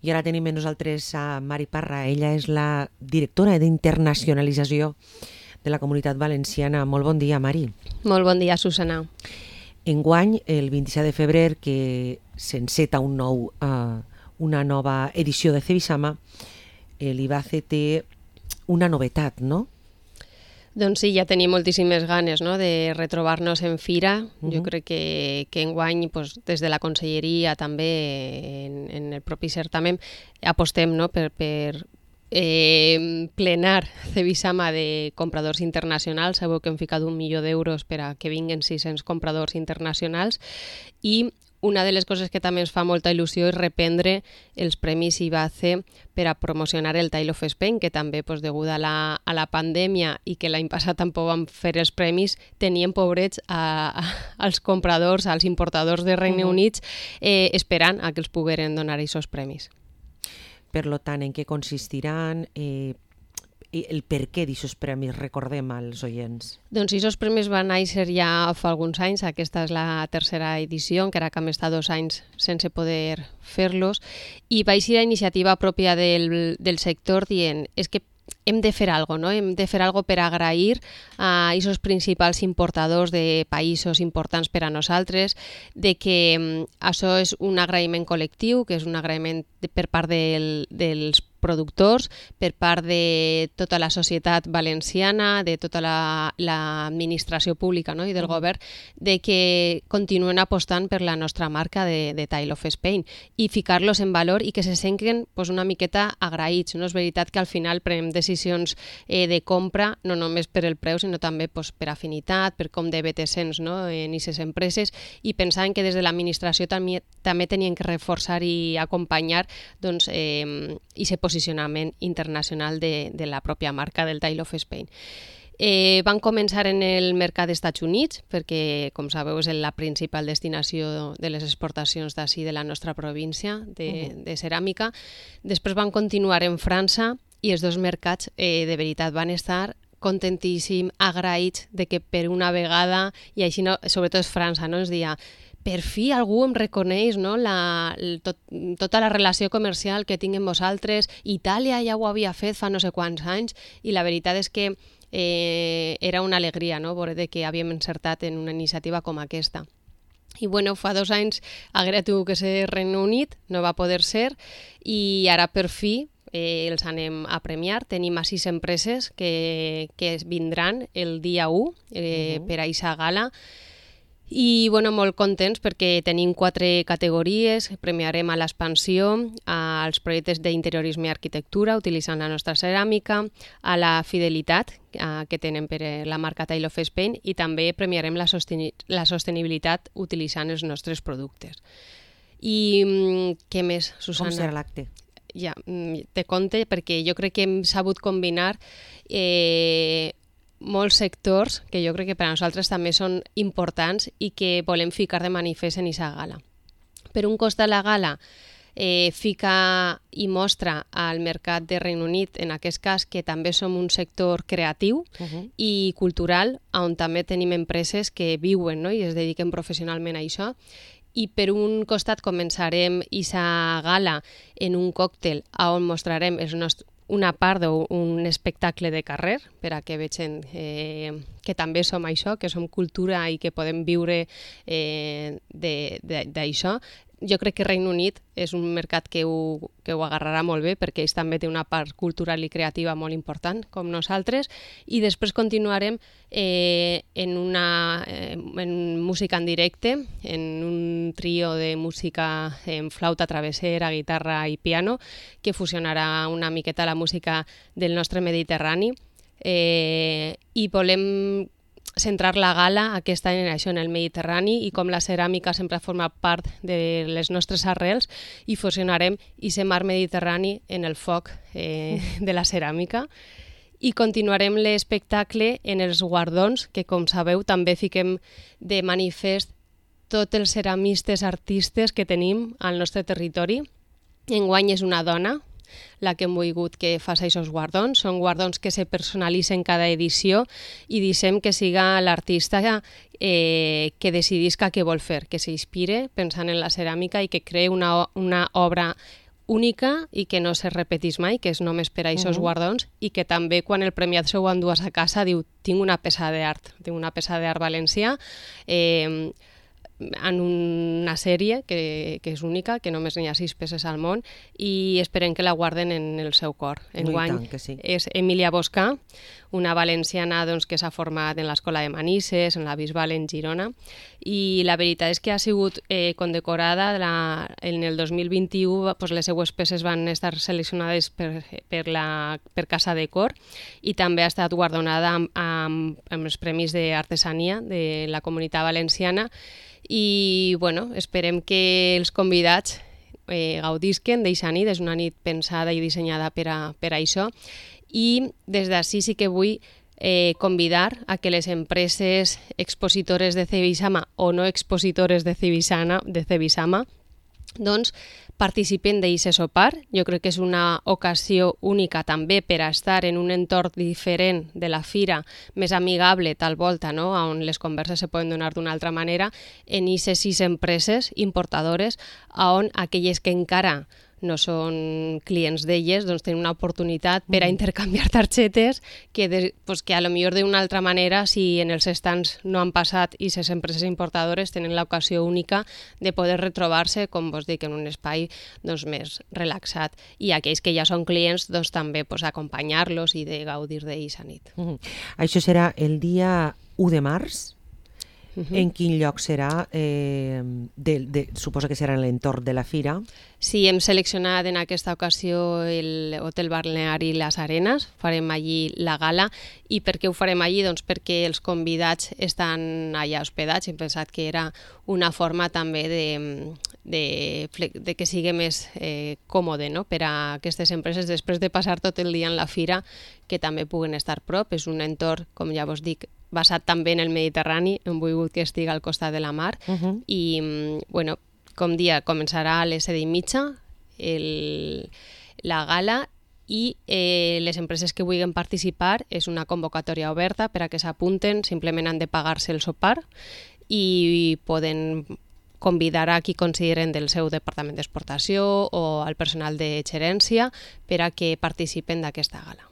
I ara tenim amb nosaltres a Mari Parra. Ella és la directora d'internacionalització de la Comunitat Valenciana. Molt bon dia, Mari. Molt bon dia, Susana. Enguany, el 27 de febrer, que s'enceta una nova edició de Cebisama, l'IBACE té una novetat, no? Doncs sí, ja tenim moltíssimes ganes, no?, de retrobar-nos en fira. Jo crec que enguany, des de la Conselleria, també en el propi certamen, apostem, no?, per plenar Cebisama de compradors internacionals. Sabeu que hem ficat 1 milió d'euros per a que vinguin 600 compradors internacionals, i una de les coses que també ens fa molta il·lusió és reprendre els premis IBACE per a promocionar el Tile of Spain, que també, degut a la pandèmia i que l'any passat tampoc vam fer els premis, tenien pobrets als compradors, als importadors de Regne Unit, esperant a que els pogueren donar aquests premis. Per tant, en què consistiran? El per què d'aquests premis, recordem als oients. Doncs aquests premis van néixer ja fa alguns anys. Aquesta és la tercera edició, encara que hem estat 2 anys sense poder fer-los, i va ser la iniciativa pròpia del sector dient és que hem de fer alguna cosa, no? Hem de fer alguna cosa per agrair a aquests principals importadors de països importants per a nosaltres, de que això és un agraïment col·lectiu, que és un agraïment per part dels productors, per part de tota la societat valenciana, de tota l'administració pública, no?, i del govern, de que continuen apostant per la nostra marca de Tile of Spain i ficar-los en valor i que se senten una miqueta agraïts. No és veritat que al final prenem decisions de compra no només per el preu, sinó també per afinitat, per com de bé te sents, no?, en aquestes empreses, i pensant que des de l'administració també tenien que reforçar i acompanyar aquest posicionament internacional de la pròpia marca del Tile of Spain. Van començar en el mercat dels Estats Units, perquè, com sabeu, és la principal destinació de les exportacions d'ací de la nostra província de ceràmica. Després van continuar en França, i els 2 mercats de veritat van estar contentíssims, agraïts de que per una vegada, i així sobretot França, no?, ens deia per fi algú em reconeix, no?, tota la relació comercial que tinc amb vosaltres. Itàlia ja ho havia fet fa no sé quants anys, i la veritat és que era una alegria, no?, veure que havíem encertat en una iniciativa com aquesta. I fa 2 anys haguera tingut que ser Regne Unit, no va poder ser, i ara per fi els anem a premiar. Tenim a 6 empreses que vindran el dia 1 per a aquesta gala. I molt contents perquè tenim 4 categories. Premiarem a l'expansió, als projectes d'interiorisme i arquitectura utilitzant la nostra ceràmica, a la fidelitat que tenen per la marca Tile of Spain, i també premiarem la sostenibilitat utilitzant els nostres productes. I què més, Susana? Com serà l'acte? Ja, te conte, perquè jo crec que hem sabut combinar molts sectors que jo crec que per a nosaltres també són importants i que volem ficar de manifest en aquesta gala. Per un costat, la gala fica i mostra al mercat de Regne Unit, en aquest cas, que també som un sector creatiu i cultural, on també tenim empreses que viuen, no?, i es dediquen professionalment a això. I per un costat començarem aquesta gala en un còctel on mostrarem una part d'un espectacle de carrer, per a que vegin que també som això, que som cultura i que podem viure d'això. Jo crec que Regne Unit és un mercat que ho agarrarà molt bé, perquè ells també té una part cultural i creativa molt important, com nosaltres, i després continuarem en música en directe, en un trio de música en flauta travessera, guitarra i piano, que fusionarà una miqueta la música del nostre Mediterrani, i volem centrar la gala aquest any en això, en el Mediterrani, i com la ceràmica sempre forma part de les nostres arrels, i fusionarem aquest mar Mediterrani en el foc de la ceràmica. I continuarem l'espectacle en els guardons, que, com sabeu, també fiquem de manifest tots els ceramistes artistes que tenim al nostre territori. Enguany és una dona la que hem volgut que faci aquests guardons. Són guardons que se personalitzen cada edició i deixem que siga l'artista que decidisca què vol fer, que s'inspire pensant en la ceràmica i que creï una obra única i que no se repetís mai, que és només per a aquests guardons, i que també quan el premiat s'ho endues a casa diu tinc una peça d'art valencià, en una sèrie que és única, que només n'hi ha 6 peces al món, i esperem que la guarden en el seu cor. Enguany és Emília Boscà, una valenciana que s'ha format en l'Escola de Manises, en la Bisbal en Girona, i la veritat és que ha sigut condecorada en el 2021, les seues peces van estar seleccionades per Casa Decor, i també ha estat guardonada amb els Premis d'Artesania de la Comunitat Valenciana, i esperem que els convidats gaudisquen d'eixa nit. És una nit pensada i dissenyada per a això, i des d'ací sí que vull convidar a que les empreses expositores de Cebisama o no expositores de Cebisama participen d'aquest sopar. Jo crec que és una ocasió única també per a estar en un entorn diferent de la fira, més amigable tal volta, on les converses se poden donar d'una altra manera, en aquestes 6 empreses importadores, on aquelles que encara no són clients d'elles, tenen una oportunitat per a intercanviar targetes que a lo millor d'una altra manera, si en els stands no han passat i les empreses importadores tenen l'ocasió única de poder retrobar-se, com vos dic, en un espai més relaxat. I aquells que ja són clients, també acompanyar-los i de gaudir d'eixa nit. Això serà el dia 1 de març? En quin lloc serà? Suposo que serà en l'entorn de la fira. Sí, hem seleccionat en aquesta ocasió l'Hotel Balneari Les Arenes, farem allí la gala. I per què ho farem allí? Perquè els convidats estan allà hospedats. Hem pensat que era una forma també de que sigui més còmode per a aquestes empreses, després de passar tot el dia en la fira, que també puguen estar prop. És un entorn, com ja vos dic, basat també en el Mediterrani, hem volgut que estigui al costat de la mar, i com dia començarà a les 7:30 la gala, i les empreses que vulguin participar és una convocatòria oberta per a que s'apunten, simplement han de pagar-se el sopar i poden convidar a qui consideren del seu departament d'exportació o al personal de gerència per a que participen d'aquesta gala.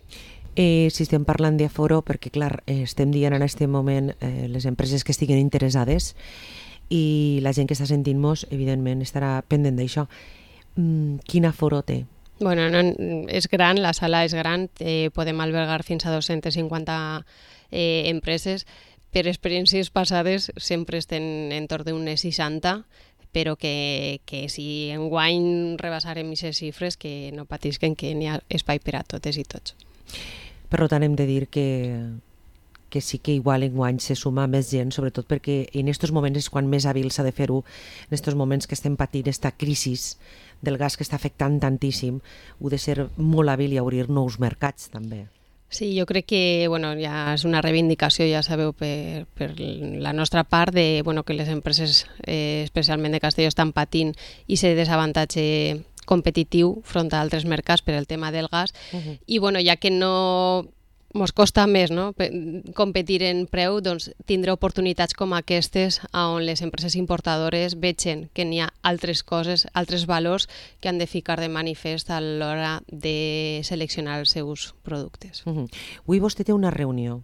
Si estem parlant d'aforo, perquè clar, estem dient en aquest moment les empreses que estiguen interessades, i la gent que està sentint-nos evidentment estarà pendent d'això. Quin aforo té? Bueno, és gran, la sala és gran, podem albergar fins a 250 empreses. Per experiències passades sempre estem entorn d'unes 60, però que si enguany rebassarem aquestes xifres, que no patisquen, que n'hi ha espai per a totes i tots. Per tant, hem de dir que sí que igual enguany se suma més gent, sobretot perquè en aquests moments és quan més hàbil s'ha de fer-ho, en aquests moments que estem patint aquesta crisi del gas que està afectant tantíssim, ho de ser molt hàbil i obrir nous mercats també. Sí, jo crec que ja és una reivindicació, ja sabeu, per la nostra part, que les empreses, especialment de Castelló, estan patint i aquest desavantatge competitiu front a altres mercats per el tema del gas, i ja que no mos costa més competir en preu, tindrà oportunitats com aquestes on les empreses importadores vegen que n'hi ha altres coses, altres valors que han de ficar de manifest a l'hora de seleccionar els seus productes. Avui vostè té una reunió.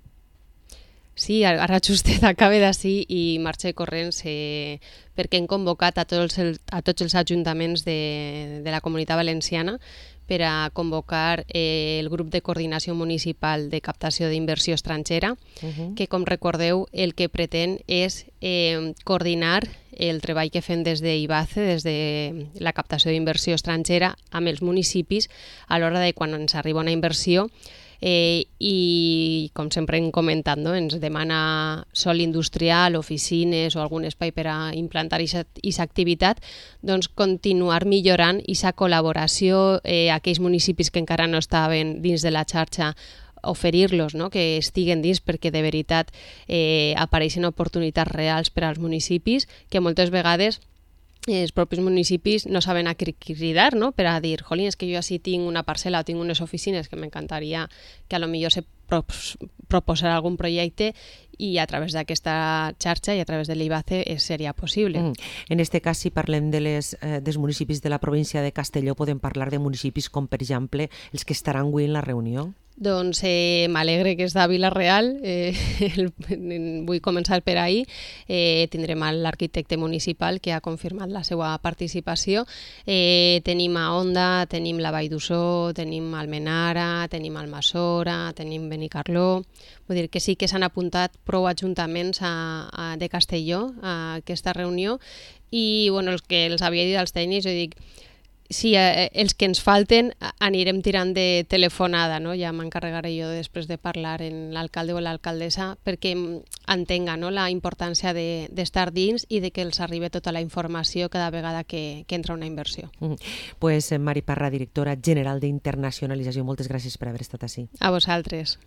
Sí, ara justet acaba d'ací i marxa corrents perquè hem convocat a tots els ajuntaments de la Comunitat Valenciana per a convocar el grup de coordinació municipal de captació d'inversió estrangera, que, com recordeu, el que pretén és coordinar el treball que fem des d'IBACE, des de la captació d'inversió estrangera, amb els municipis a l'hora de quan ens arriba una inversió, i com sempre hem comentat, ens demana sòl industrial, oficines o algun espai per a implantar aquesta activitat, continuar millorant aquesta col·laboració a aquells municipis que encara no estaven dins de la xarxa, oferir-los, que estiguen dins, perquè de veritat apareixen oportunitats reals per als municipis que moltes vegades els propis municipis no saben a què cridar, no? Per a dir, jolín, és que jo així tinc una parcel·la o tinc unes oficines que m'encantaria que a lo millor se proposarà algun projecte i a través d'aquesta xarxa i a través de l'IBACE seria possible. En este cas, si parlem dels municipis de la província de Castelló, podem parlar de municipis com, per exemple, els que estaran avui en la reunió? Doncs m'alegre que és de Vila-real, vull començar per ahir. Tindrem l'arquitecte municipal que ha confirmat la seva participació. Tenim a Onda, tenim la Vall d'Ussó, tenim Almenara, tenim Almassora, tenim Benicarló. Vull dir que sí que s'han apuntat prou ajuntaments de Castelló a aquesta reunió i bueno, els que els havia dit als tècnics, jo dic, sí, els que ens falten anirem tirant de telefonada, no? Ja m'encarregaré jo després de parlar amb l'alcalde o l'alcaldessa perquè entenga, no? La importància d'estar dins i de que els arribi tota la informació cada vegada que entra una inversió. Pues Mari Parra, directora general d'Internacionalització, moltes gràcies per haver estat ací. A vosaltres.